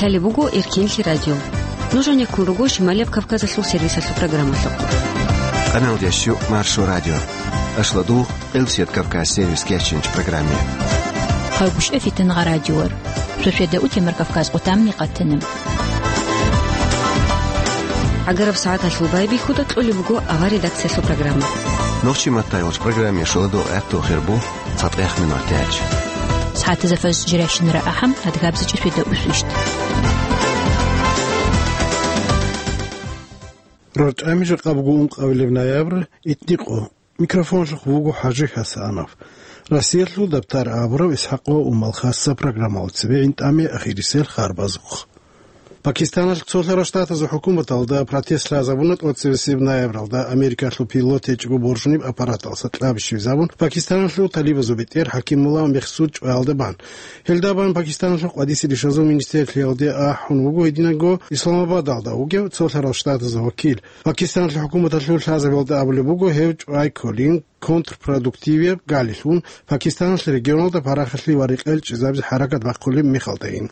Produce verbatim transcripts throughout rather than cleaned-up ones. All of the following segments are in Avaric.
Лъалеб буго Эркенлъи радио. Нуж гӀенеккун руго Шималияб Кавказалъул сервисалъул программалъухъ. Къаналда щу Маршо радио. Ашладул Къилсият Кавказ сервис кеченч программе. Хъагушев Фитангъа радиор. Шошеда утемар Кавказ къутамни къатана. ГӀагараб сагӀаталъул байбихьуда кьолеб буго авар редакциялъул программа. Нохчи маттайолч программе шоладо гӀатту хирбу. ЦатӀех минутач. СагӀатазда фаз жиращинара ахӀам, адгабзичӀи шведа усвищт. РорчӀами жакъа буго ункъабилеб ноябрь, итникъо. Микрофонлъухъ вуго ХӀажи ХӀасанов. Россиялъул дабтар абураб ИсхӀакъо Умал хасса программалда цебе гӀинтӀаме ахирисел харбазухъ. Пакистаналъ цолъарал штатазул хӀукуматалда протест лъазабуна тӀоцебесеб ноябралда Америкалъул пилот гьечӀого боржуниб аппараталъа кьабищ визабун, Пакистаналъул талибазул бетӀер ХӀакимулла Мехсуд чӀваялда бан. Гьелда бан Пакистаналъул къвадисел ишазул министрлъиялде ахӀун вуго гьединго Исламабадалда вугев цолъарал штатазул вакил. Пакистаналъул хӀукуматалъул лъазабиялда абулеб буго гьев чӀвай кколин, контрпродуктивияб галилъун, Пакистаналъ регионалда парахалъи ва рекъел чӀезабизе хӀаракат бахъулеб мехалдайин.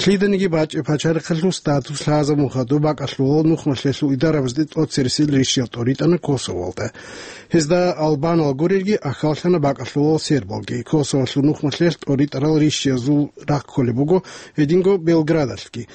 Лъиданиги бачӀеб пачалихъалъул статус лъазабун хадуб бакӀалъулал нухмалъелъул идарабазде тӀоцересел рищиял тӀоритӀана Косовоялда. Гьезда албанал гурелги ахьаллъана бакӀалъулал сербалги. Косовоялъул нухмалъелъ тӀоритӀарал рищиязул рахъ кколеб буго гьединго Белградалъги.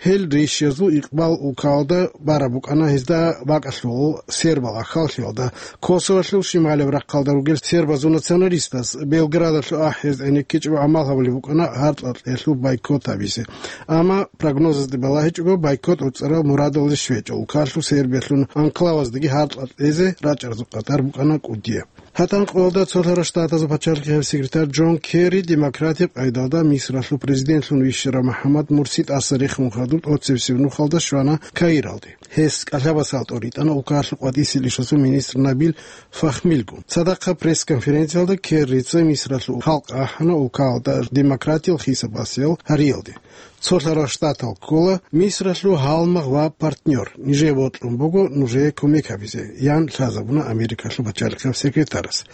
Гьел рищиязул икъбал улкалда бараб букӀана, гьезда бакӀалъулал сербал ахьаллъиялда. Косовоялъул шималияб рахъалда ругел сербазул националистаз Белградалъул ахӀиз гӀенеккичӀого гӀамал гьабулеб букӀана гьаркьа-кьелъул бойкот гьабизе. Амма прогнозазде балагьичӀого, бойкот гӀуцӀарал мурадалде щвечӀо, улкалъул Сербиялъул анклаваздаги гьаркьа-кьезе рачӀарзул къадар букӀана кӀудияб. ГьатӀан къоялда цолъарал штатазул пачалихъияб секретарь Джон Керри демократияб къайдалда Мисралъул президентлъун вищарав МухӀаммад Мурси тӀаса рехун хадуб тӀоцебесеб нухалда щвана Каиралде. Гьес кӀалъабасал тӀоритӀана улкалъул къватӀисел ишазул министр Набил Фахмилгун. Цадахъа пресс-конференциялда Керрица Мисралъул халкъ ахӀана улкалда демократиял хисабасел гьариялде. Цолъарал штатал ккола Мисралъул гьалмагъ ва партнер. Нижее бокьун буго нужее кумек гьабизе, ян лъазабуна Америкалъул пачалихъияб секретарас.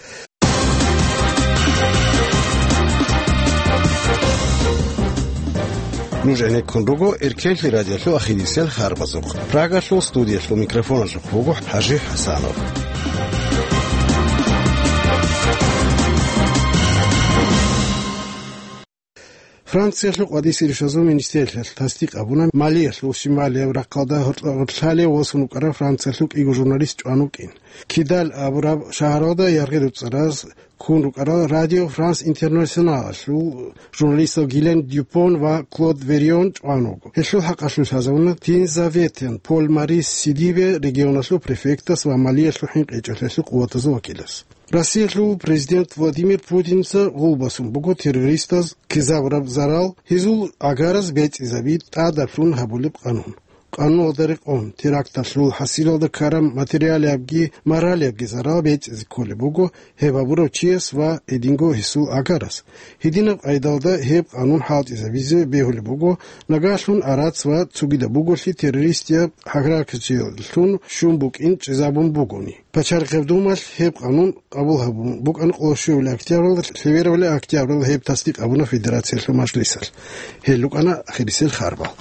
Нуж гӀенеккун руго Эркенлъи радиолъул ахирисел харбазухъ. Прагалъул студиялъул микрофоналъухъ вуго ХӀажи ХӀасанов. Франциялъул къватӀисел ишазул министрлъиялъ тасдикъ гьабуна, Малиялъул шималияб рахъалда гьоркьа-гьоркьалъе восун вукӀарав Франциялъул кӀиго журналист чӀван вукӀин. Кидаль абураб шагьаралда яргъи-дуцӀараз ккун рукӀарал Радио Франс Интернационалалъул журналистал Гилен Дюпон ва Клод Верион чӀван вуго. Гьелъул хӀакъалъулъ лъазабуна Тинзаветен Поль Марис Сидибе регионалъул префектас ва Малиялъул хӀинкъичӀелъиялъул къуватазул вакилас. Россиялъул президент Владимир Путинца гъулбасун буго террористаз ккезабураб зарал, гьезул гӀагараз бецӀизаби тӀадаблъун гьабулеб къанун. Къануналда рекъон, теракталъул хӀасилалда ккараб материалиябги моралиябги зарал бецӀизе кколеб буго гьеб гьабурав чияс ва гьединго гьесул гӀагарас. Гьединаб къайдалда гьеб къанун хӀалтӀизабизе бегьулеб буго, нагагьлъун Араз ва цогидаб буголъи террористияб гьаракаталъун щун букӀин чӀезабун бугони. Пачалихъеб Думалъ гьеб къанун къабул гьабун букӀана къоло щуяб октябралда, лъеберабали октябралда гьеб тасдикъ гьабуна Федерациялъул Мажлисалъ. Гьел рукӀана ахирисел харбал.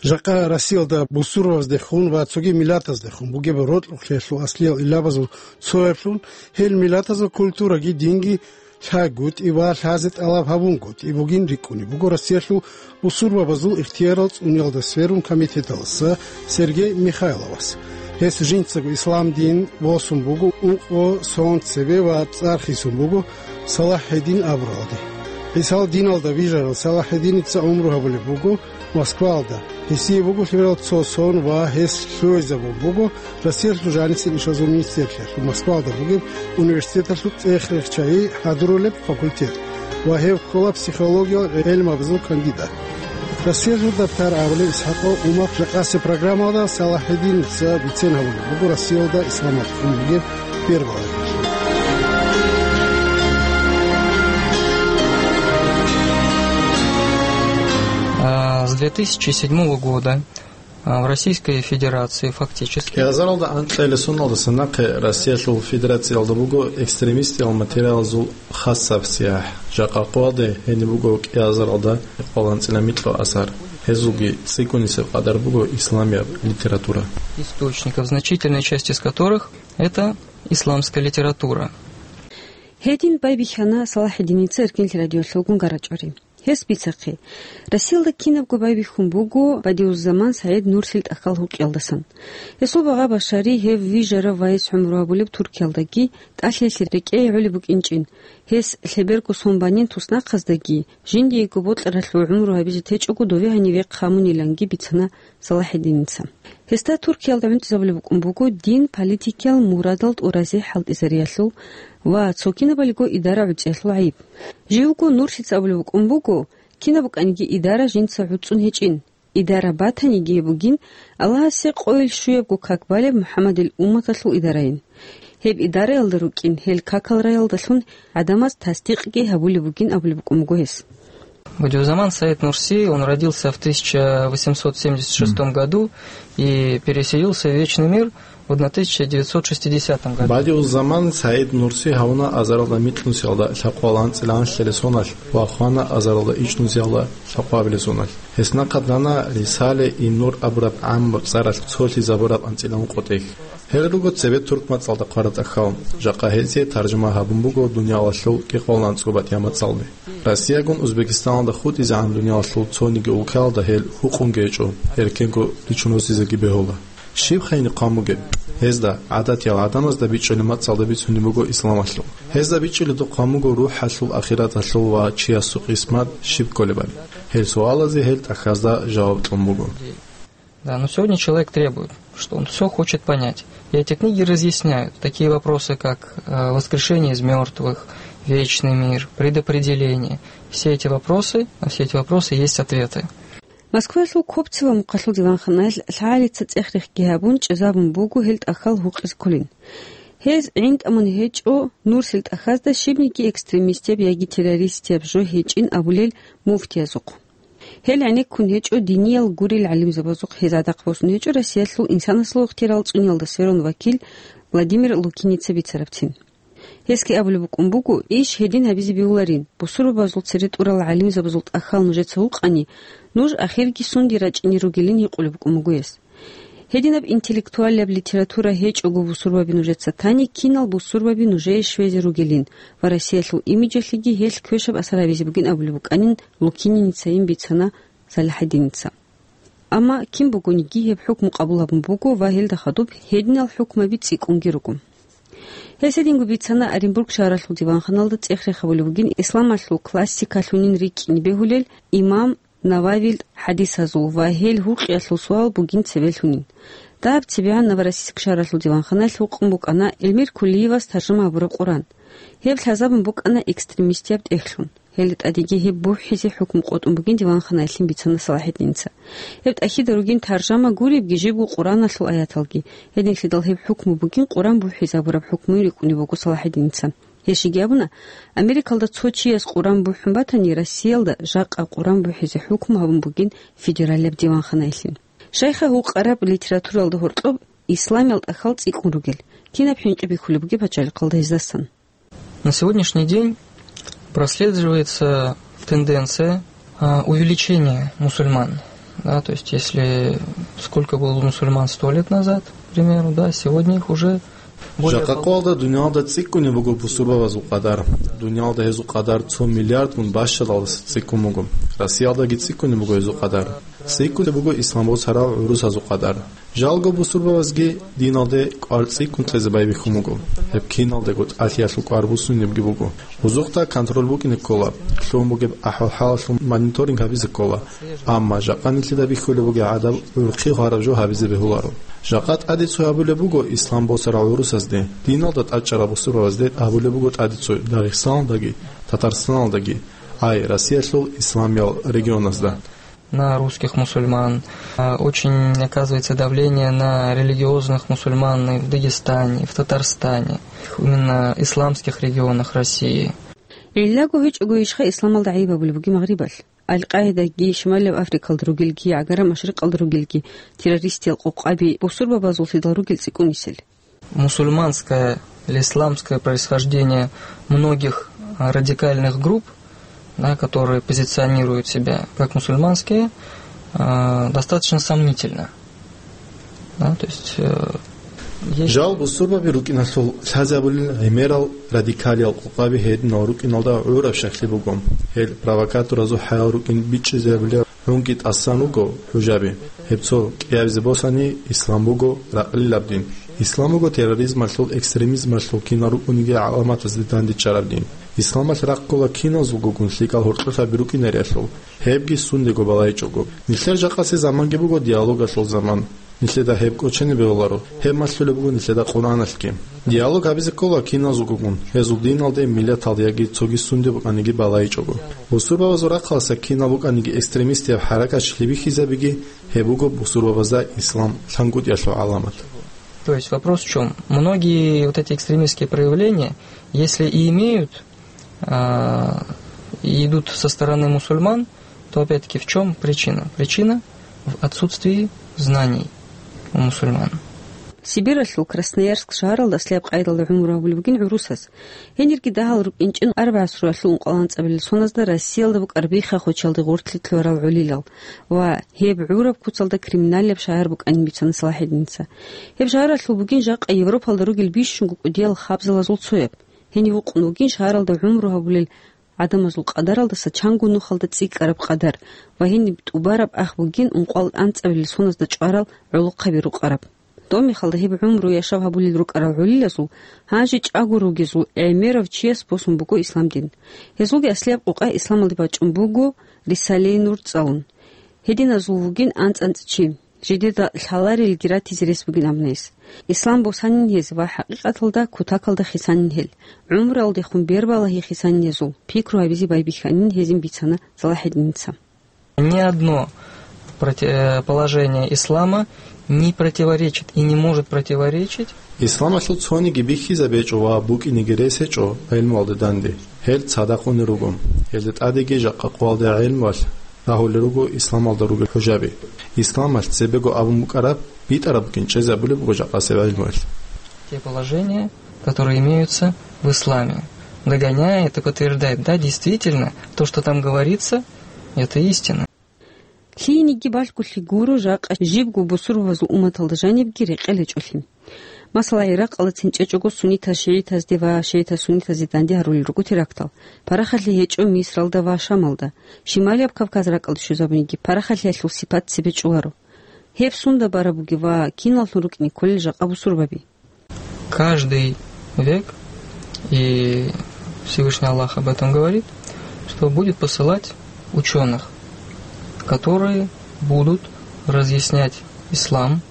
Жакъа Россиялда бусурбабаздехун ва цоги миллатаздехун бугеб рокьулъиялъул аслиял илабазул цояблъун, гьел миллатазул культураги динги лъайгутӀи ва лъазе тӀалаб гьабунгутӀи бугин рикӀкӀунеб буго Россиялъул бусурбабазул ихтиярал цӀуниялда сверун комитеталдаса Сергей Михайловас. Гьес жинцаго ислам дин босун буго ункъо сон цебе ва цӀар хисун буго Салахьедин абуралде. ГӀисал диналда вижарав Салахьединица гӀумру гьабулеб буго Москвалда. Гьесие буго лъимерал цо сон ва гьес лъугьизабун буго Россиялъул жанисел ишазул министрлъиялъул Москвалда бугеб университеталъул цӀех-рехчайи хӀадурулеб факультет ва гьев ккола психологиял гӀелмабазул кандидат. Россиялъул дабтар абулеб ИсхӀакъо Умахъ жакъасеб программалда Салахьединица бицен гьабулеб буго Россиялда исламалъ бугеб бербалъ. А, с две тысячи седьмого года А в Российской Федерации фактически кӀиазаралда анкьилесуналдаса нахъе Россиялъул Федерациялда буго экстремистиял материалазул хасаб сияхӀ. Жакъа къоялде гьениб буго кӀиазаралда къоланцӀила микьго асар. Гьезулги цӀикӀкӀунисеб къадар буго исламияб литература. Источников, значительная часть из которых это исламская литература. Гьедин байбихьана Салахьидиница Эркенлъи радиолъулгун гарачӀори. Гьес бицахъе, Россиялда кинабго байбихьун буго Бадиуззаман СагӀид Нурсил тӀахьал гьукъиялдасан. Гьесул багъа-башари гьев вижарав вайс гӀумру гьабулеб Туркиялдаги, тӀалъиялъе рекӀее гӀолеб букӀинчӀин, гьес лъеберго сон банин туснахъаздаги, жиндиего бокьаралъув гӀумру гьабизе течӀого дове гьанивехъ гьамуниланги бицана Салахьидиница. Гьесда Туркиялда гӀунтӀизабулеб букӀун буго дин политикиял мурадал тӀуразе хӀалтӀизариялъул ва цо кинабалиго идара гӀуцӀиялъул гӀайиб. Живго Нурсица абулеб букӀун буго, кинаб букӀаниги идара жинца гӀуцӀун гьечӀин. Идара батаниги гьеб бугин Аллагьасе къойил щуябго как балеб МухӀаммадил умматалъул идарайин. Гьеб идараялда рукӀин гьел какал раялдалъун гӀадамаз тасдикъги гьабулеб бугин абулеб букӀун буго гьес. Бадиуззаман Саид Нурси, он родился в тысяча восемьсот семьдесят шестом году и переселился в Вечный мир в одна тысяча девятьсот шестидесятом году. Бадиуззаман Саид Нурси гьавуна азаралда микьнусиялда лъакъвал анцӀила анлъилесоналъ ва хвана азаралда ичӀнусиялда лъакъвабилесоналъ. Гьес нахъа дана Рисале-и Нур абураб гӀаммаб цӀаралъ цолъизабураб анцӀила ункъо тӀехь. Гьел руго цебе турк мацӀалда хъвараб тӀахьал. Жакъа гьезие таржума гьабун буго дуниялалъул кӀикъоялда анцӀго батӀияб мацӀалде. Россиягун Узбекистаналда хутӀизегӀан дуниялалъул цониги улкаялда гьел гьукъунги гьечӀо, эркенго ричун росизеги бегьула. Щиб хайни хъван бугеб? Гьезда, гӀадатиял гӀадамазда бичӀчӀулеб мацӀалда бицунеб буго исламалъул. Гьезда бичӀчӀулеб хъван буго рухӀалъул, ахираталъул ва чиясул къисмат щиб кколебали. Гьел суалазе гьел тӀахьазда жаваб кьун буго. Да, но сегодня человек требует, что он всё хочет понять. И эти книги разъясняют такие вопросы, как, э, воскрешение из мёртвых, вечный мир, предопределение. Все эти вопросы, на все эти вопросы есть ответы. Москваялъул Копцева мухъалъул диванханаялъ лъагӀалица цӀех-рехги гьабун, чӀезабун буго гьел тӀахьал гьукъизе кколин. Гьез гӀинтӀамун гьечӀо Нурсил тӀахьазда щибниги экстремистияб яги террористияб жо гьечӀин абулел муфтиязухъ. Гьел гӀенеккун гьечӀо диниял гурел гӀалимзабазухъ, гьез гӀадахъ босун гьечӀо Россиялъул инсанасул ихтияр цӀуниялда сверун вакил Владимир Лукиница бицарабцин. Гьесги абулеб букӀун буго, иш гьедин гьабизе бегьуларин, бусурбабазул цере тӀурал гӀалимзабазул тӀахьал нужеца гьукъани, нуж ахирги сунде рачӀине ругилин гьикъулеб букӀун буго гьес. Гьединаб интеллектуалияб литература гьечӀого бусурбаби нужеца тани, кинал бусурбаби нужее щвезе ругилин ва Россиялъул имиджалъеги гьелъ квешаб асар гьабизе бугин абулеб букӀанин Лукининицайин бицана Салахьидиница. Амма кин бугониги гьеб хӀукму къабул гьабун буго ва гьелда хадуб гьединал хӀукмаби цӀикӀкӀунги руго. Гьес гьединго бицана Оренбург шагьаралъул диванханалда цӀех-рех гьабулеб бугин исламалъул классикалъунин рикӀкӀине бегьулел имам Нававил хӀадисазул ва гьел гьукъиялъул суал бугин цебелъунин. Дагьаб цебегӀан Новороссийск шагьаралъул диванханаялъ гьукъун букӀана Эльмир Кулиевас таржума гьабураб Къуран. Гьеб лъазабун букӀана экстремистияб тӀехьлъун. Гьелда тӀадеги гьеб бухӀизе хӀукму къотӀун бугин диванханаялъин бицана Салахьиддиница. Гьеб тӀахьида ругин таржама гуребги жибго Къураналъул аяталги. Гьединлъидал гьеб хӀукму бугин Къуран бухӀизабураб хӀукмуйин рикӀкӀунеб буго Салахьиддиница. Гьес жеги абуна, Америкалда цо чияс Къуран бухӀун батани, Россиялда жакъа Къуран бухӀизе хӀукму гьабун бугин федералияб диванханаялъин. Шайха гьукъараб литературалда гьоркьоб исламиял тӀахьал цӀикӀкӀун ругел, кинаб хӀинкъи бихьулеб бугеб пачалихъалда гьездасан. На сегодняшний день прослеживается тенденция, а, увеличения мусульман. Да, то есть, если сколько было мусульман сто лет назад, к примеру, да, сегодня их уже более... Жакъа къоялда дуниялда цӀикӀкӀунеб буго бусурбабазул къадар. Дуниялда гьезул къадар цо миллиардгун бащадалдаса цӀикӀкӀун буго. Россиялдаги цӀикӀкӀунеб буго гьезул къадар. ЦӀикӀкӀунеб буго ислам босарал гӀурусазул къадар. Жалго бусурбабазги диналде кӀвар цӀикӀкӀун кьезе байбихьун буго. Гьеб киналдаго тӀалъиялъул кӀвар буссунебги буго. Гьезухъа контроль букӀине ккола, лъугьун бугеб ахӀвал-хӀалалъул мониторинг гьабизе ккола. Амма жакъа нилъеда бихьулеб бугеб гӀадаб гӀурхъи гьараб жо гьабизе бегьуларо. Жакъа тӀаде цо гьабулеб буго ислам босарал гӀурусазде, диналда тӀадчӀарал бусурбабазде абулеб буго тӀаде цо Дагъистаналдаги, Татарстаналдаги, ай, Россиялъул исламиял регионазда. На русских мусульман. А, очень оказывается давление на религиозных мусульман и в Дагестане, и в Татарстане, именно исламских регионах России. Гьеллаго гьечӀого ишха исламалда гӀайиб абулеб бугеб Магърибалъ? Аль-Къаидаги, Шималияб Африкалда ругелги, ГӀагара Машрикъалда ругелги террористиял къокъаби бусурбабазуллъидал ругел цӀикӀкӀунисел. Мусульманское или исламское происхождение многих, а, радикальных групп, да, которые позиционируют себя как мусульманские, а, достаточно сомнительно. Да, то есть, э, есть Жал бусурбаби рукӀиналъул лъазабулел гӀемерал радикалиял къокъаби гьединал рукӀиналда гӀураб щаклъи буго. Гьел провокаторазул хӀаял рукӀин бичӀчӀизабулел гӀунги тӀасан руго хӀужаби. Гьеб цо кӀиабизе босани, ислам буго ракълилаб дин. Ислам буго терроризмалъул, экстремизмалъул кинал рукӀуниги гӀаламатазде дандечӀараб дин. Исламалъ рахъ ккола киназулгогун лъикӀал гьоркьолъаби рукӀинариялъул, гьебги сундего балайчӀого. Нилъер жакъасеб заманги буго диалогалъул заман. Нилъеда гьеб кӀочене бегьуларо, гьеб малъулеб буго нилъеда Къуръаналъги. Диалог гьабизе ккола киназулгогун, гьезул диналде, миллаталде яги цоги сунде букӀаниги балайчӀого. Бусурбабазул рахъалъа кинал букӀаниги экстремистияб хӀаракатчилъи бихьизабиги, гьеб буго бусурбабазда ислам лъангутӀиялъул гӀаламат. То есть вопрос в чём? Многие вот эти экстремистские проявления, если и имеют, а, и идут со стороны мусульман, то опять-таки в чём причина? Причина в отсутствии знаний у мусульман. Сибиралъул Красноярск шагьаралда аслияб къайдалда гӀумру гьабулеб бугин гӀурусаз. Гьенирги дагьал рукӀинчӀин араб гӀасруялъул ункъоялда анцӀабилел соназда Россиялда букӀараб биххахъучалде гъоркьлъи лъугьарал гӀолилал ва гьеб гӀураб куцалда криминалияб шагьар букӀанин бицана Салахьиддинца. Гьеб шагьаралъул бугин жакъа Европалда ругел бищунго кӀудиял хабзалазул цояб. Гьенив вукъун вугин шагьаралда гӀумру гьабулел гӀадамазул къадаралдаса чанго нухалда цӀикӀкӀараб къадар ва гьениб тӀубараб ах бугин ункъоялда анцӀабилел соназда чӀварал гӀолохъаби рукъараб. Доб мехалда гьеб гӀумру яшав гьабулел рукӀарал гӀолилазул гьанже чӀаго ругезул гӀемерав чияс босун буго ислам дин. Гьезулги аслияб къокъа исламалде бачӀун буго Рисалаи Нур цӀалун. Гьединазул вугин анцӀ-анцӀ чи, жидеда лъаларелги ратизе рес бугин абунес. Ислам босанин гьез ва хӀакъикъаталда кутакалда хисанин гьел. ГӀумруялдехун бербалагьи хисанин гьезул, пикру гьабизе байбихьанин гьезин бицана Салахьиддинца. Ни одно проти-, э, положение ислама не противоречит и не может противоречить. Исламалъул цониги бихьизабечӀо ва букӀинеги рес гьечӀо гӀелмуялда данде. Гьел цадахъ унел руго. Гьелда тӀадеги жакъа къоялда гӀелмуялъ рагьулел руго исламалда ругел хӀужаби. Исламалъ цебего абун букӀараб, битӀараб букӀин чӀезабулеб буго жакъасеб гӀелмуялъ. Те положения, которые имеются в исламе, догоняет и подтверждает, да, действительно, то, что там говорится, это истина. Лъиениги балъголъи гуро жакъа жибго бусурбабазул умматалда жанибги рекъел гьечӀолъи. Масала, ГӀиракъалда цинчӀечӀого суннитаз шигӀитазде ва шигӀитаз суннитазде данде гьарулел руго терактал. Парахалъи гьечӀо Мисралда ва Шамалда. Шималияб Кавказ ракӀалде щвезабуниги парахалъиялъул сипат цебе чӀоларо. Гьеб сунда бараб бугеб ва киналлъун рукӀине кколел жакъа бусурбаби? Каждый век, и Всевышний Аллах об этом говорит, что будет посылать учёных, которые будут разъяснять ислам.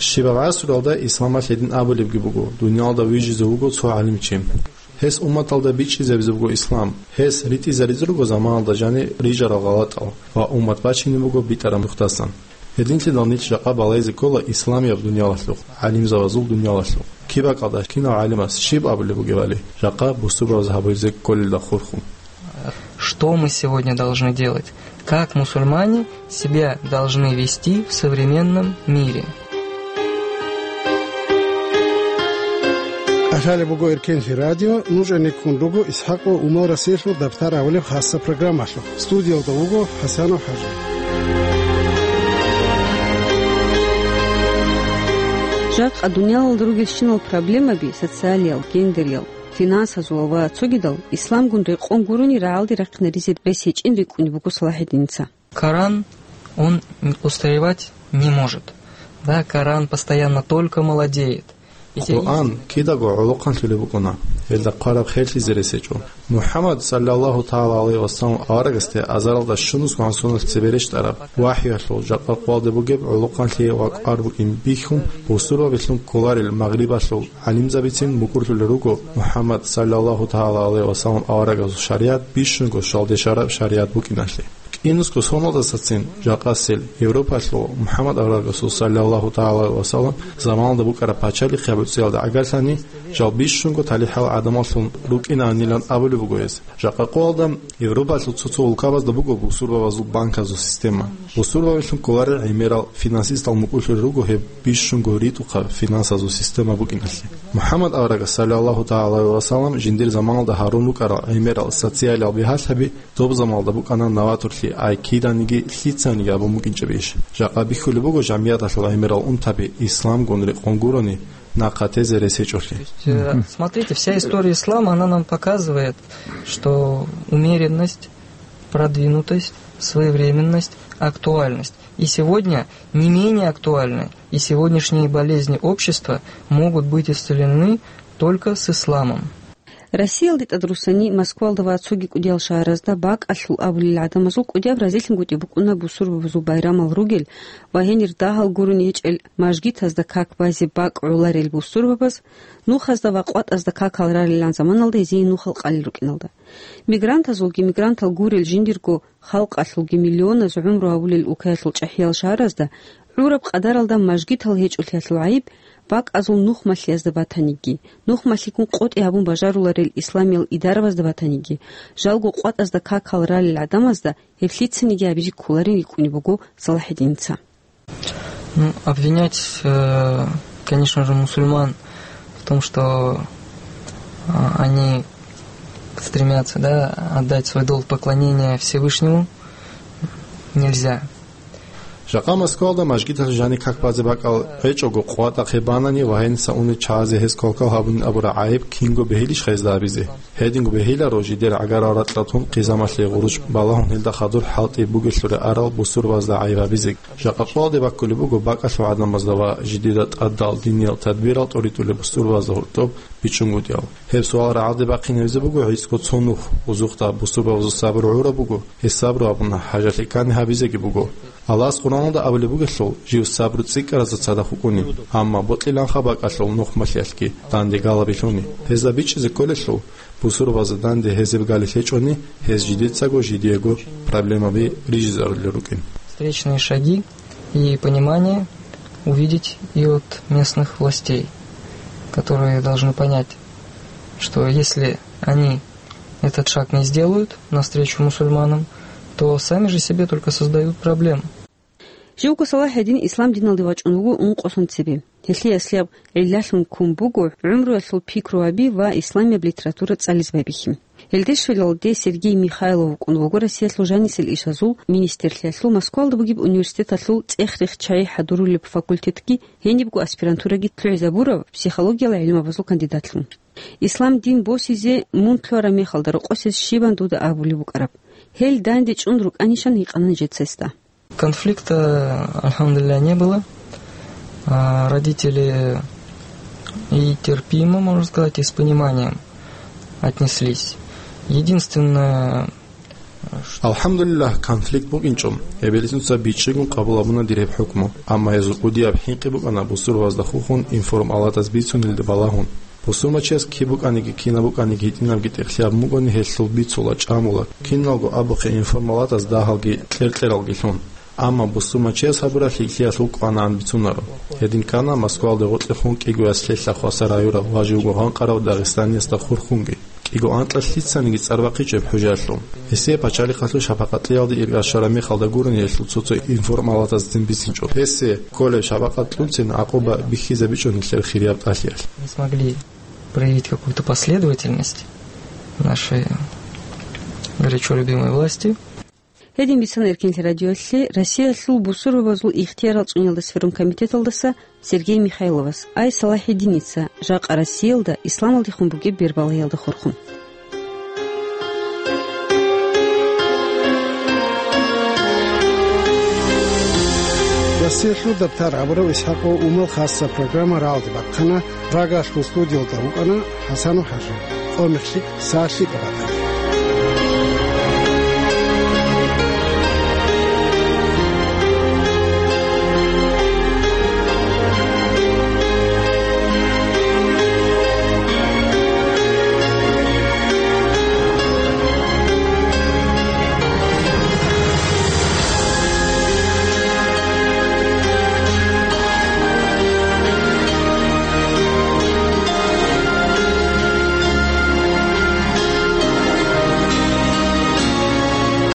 Щибаб гӀасруялда исламалъ гьедин абулебги буго, дуниялда вижизе вуго цо гӀалимчи. Гьес умматалда бичӀчӀизабизе буго ислам. Гьес ритӀизаризе руго заманалда жаниб рижарал гъалатӀал ва уммат бачине буго битӀараб нухдасан. Гьединлъидал нилъ жакъа балайзе ккола исламияб дуниялалъухъ, гӀалимзабазул дуниялалъухъ. Киб бакӀалда, кинав гӀалимас щиб абулеб бугебали, жакъа бусурбабаз гьабизе кколелда хурхун. Что мы сегодня должны делать? Как мусульмане себя должны вести в современном мире? Лъалеб буго Эркенлъи радио, нуж гӀенеккун руго ИсхӀакъ ва Умал Расиялъул дабтар абулеб хасса программалъухъ. Студиялда вуго ХӀасанов ХӀажи. Жакъа дуниялалда ругелщинал проблемаби, социалиял, гендериял, финансазул ва цогидал, исламгун рекъон гурони рагӀалде рахъинаризе рес гьечӀин рикӀкӀунеб буго Салахьиддинца. Коран, он устаревать не может. Да, Коран постоянно только молодеет. И те Къуръан кидаго гӀолохъанлъулеб букӀуна, гьелда хъвараб херлъизе рес гьечӀо. МухӀаммад, саллаллагьу тагӀала гӀалайгьи ва саллам, аварагасде азаралда щунусгоан соналъ цебе рещтӀараб вахӀюялъул жакъа къоялда бугеб гӀолохъанлъи ва кӀвар букӀин бихьун, бусурбабилъун кколарел Магърибалъул гӀалимзабицин букӀурлъулел руго МухӀаммад, саллаллагьу тагӀала гӀалайгьи ва саллам, аварагасул шаригӀат бищунго щвалдешараб шаригӀат букӀиналъе. Инусго соналдасацин жакъасел Европалъул МухӀаммад аварагасул, саллаллагьу тагӀала гӀалайгьи ва саллам, заманалда букӀараб пачалихъи гьабуцӀиялда гӀагарлъани, жал бищунго талихӀал гӀадамаллъун рукӀинанилан абулеб буго гьез. Жакъа къоялда Европалъул цо-цо улкабазда буго бусурбабазул банказул система. Бусурбабилъун кколарел гӀемерал финансистал мукӀурлъулел руго гьеб бищунго ритӀухъаб финансазул система букӀиналъе. МухӀаммад аварагас, саллаллагьу тагӀала гӀалайгьи ва саллам, жиндир заманалда гьарун рукӀарал гӀемерал социалиял бигьалъаби доб заманалда букӀана новаторлъи, ай киданиги лъицаниги абун букӀинчӀеб иш. Жакъа бихьулеб буго жамигӀаталъул гӀемерал унтаби исламгун рекъон гурони нахъа тезе рес гьечӀолъи. Э, Мгм. Смотрите, вся история ислама, она нам показывает, что умеренность, продвинутость, своевременность, актуальность. И сегодня не менее актуальны, и сегодняшние болезни общества могут быть исцелены только с исламом. Россиялде тӀадрусани Москвалда ва цоги кӀудиял шагьаразда бакӀалъул абулел гӀадамазул кӀудияб разилъунгутӀи букӀуна бусурбабазул байрамал ругел ва гьенир дагьал гурони гьечӀел мажгитазда как базе бакӀ гӀоларел бусурбабаз, нухазда ва къватӀазда какал рарилан заманалда гьезие нухал къалел рукӀиналда. Мигрантазулги мигрантал гурел жиндирго халкъалъулги миллионаз гӀумру гьабулел улкаялъул чӀахӀиял шагьаразда гӀураб къадаралда мажгитал гьечӀолъиялъул гӀайиб бакӀазул нухмалъиязда батаниги, нухмалъиккун къотӀи гьабун бажаруларел исламиял идарабазда батаниги, жалго къватӀазда какал ралел гӀадамазда гьеб лъицаниги гьабизе кколарин рикӀкӀунеб буго Салахьиддиница. Ну, обвинять, э, конечно же, мусульман в том, что, а, они стремятся, да, отдать свой долг поклонения Всевышнему, нельзя. Жакъа Москвалда мажгиталъ жаниб как базе бакӀал гьечӀого къватӀахъе банани ва гьениса унел чагӀазе гьез квалквал гьабунин абураб гӀайиб кинго бегьилищ гьезда гьабизе? Гьединго бегьиларо жидер гӀагарал ракьалъун хъизамалъе гъурущ балагьун гьелда хадур хӀалтӀи бугелъулеб арал бусурбазда гӀайиб гьабизе. Жакъа къоялде баккулеб буго бакӀалъул гӀадамазда ва жидеда тӀадал диниял тадбирал тӀоритӀулеб бусурбазда гьоркьоб бичӀчӀунгутӀиялъ. Гьеб суал рагӀалде бахъин гьавизе буго гӀицӀго цо нух, бузухъ дагь бусурбабазул сабру гӀураб буго, гьес сабру абуна, хӀажалъи ккани гьабизеги буго. Аллагьас Къуръаналда абулеб бугелъул, жив сабру цӀикӀкӀаразда цадахъ вукӀунин, амма бокьиланха бакӀалъул нухмалъиялъги данде галабилъуни. Гьезда бичӀчӀизе кколелъул, бусурбабазда данде гьезеб галел гьечӀони, гьез жидецаго жидеего проблемаби рижизарулел рукӀин. Встречные шаги и понимание увидеть и от местных властей, которые должны понять, что если они этот шаг не сделают навстречу мусульманам, то сами же себе только создают проблемы. Живго Салахьиддин ислам диналде вачӀун вуго ункъосан цебе. Гьелъие аслияб гӀиллалъун ккун буго гӀумруялъул пикруаби ва исламияб литература цӀализе байбихьи. Гьелде щвелалде Сергей Михайлов вукӀун вуго Россиялъул жанисел ишазул министрлъиялъул Москвалда бугеб университеталъул цӀех-рех чагӀи хӀадурулеб факультетги, гьенибго аспирантураги лъугӀизабурав психологиял гӀилмабазул кандидатлъун. Ислам дин босизе мун лъугьараб мехалда рокъосез щибан дуда абулеб букӀараб? Гьел данде чӀун рукӀанищан гьикъана нижеца гьесда. Конфликта, альхамдулилля, не было. А, родители и терпимо, можно сказать, и с пониманием отнеслись. Единственное, АлхӀамдулиллагь, конфликт букӀинчӀо. Эбелинуца бичӀчӀигун къабул гьабуна дир гьеб хӀукму, амма гьезул кӀудияб хӀинкъи букӀана бусурбабазда хухун информалатаз бицунелда балагьун. Бусурмачияс киб букӀаниги, кинаб букӀаниги, гьитӀинабги тӀехълъи гьабун бугони, гьелъул бицула, чӀамула, киналго абухъе информалатаз дагьалги кьер-кьералги лъун. Амма бусурмачияс гьабуралъи лъиялъул кӀванаан бицунаро. Гьедин ккана Москвалде гъоркьехун кӀиго яслъелъа хвасар гьаюрав ва живго гъанкъарав дагъистаниясда хурхунги. КӀиго анкьа лъицаниги цӀар бахъичӀеб хӀужаялъул. Гьесие пачалихъалъул шапакъатлъиялде иргъашараб мехалда гурони гьелъул цо-цо информалатазцин бицинчӀо. Гьесие кколеб шапакъатлъунцин гӀакъуба бихьизабичӀони лъеб хирияб тӀалъиялъ. Не смогли проявить какую-то последовательность нашей горячо любимой власти. Гьедин бицана Эркенлъи радиоялъе Россиялъул бусурбабазул ихтиярал цӀуниялда сверун комитеталдаса Сергей Михайловас, ай Салахьиддиница, жакъа Россиялда исламалдехун бугеб бербалагьиялда хурхун. Россиялъул дабтар абурав ИсхӀакъов Умал хасса программа рагӀалде бахъана, Прагалъул студиялда вукӀана ХӀасанов ХӀажи, къо-мех лъикӀ, сагӀат лъикӀаб батана.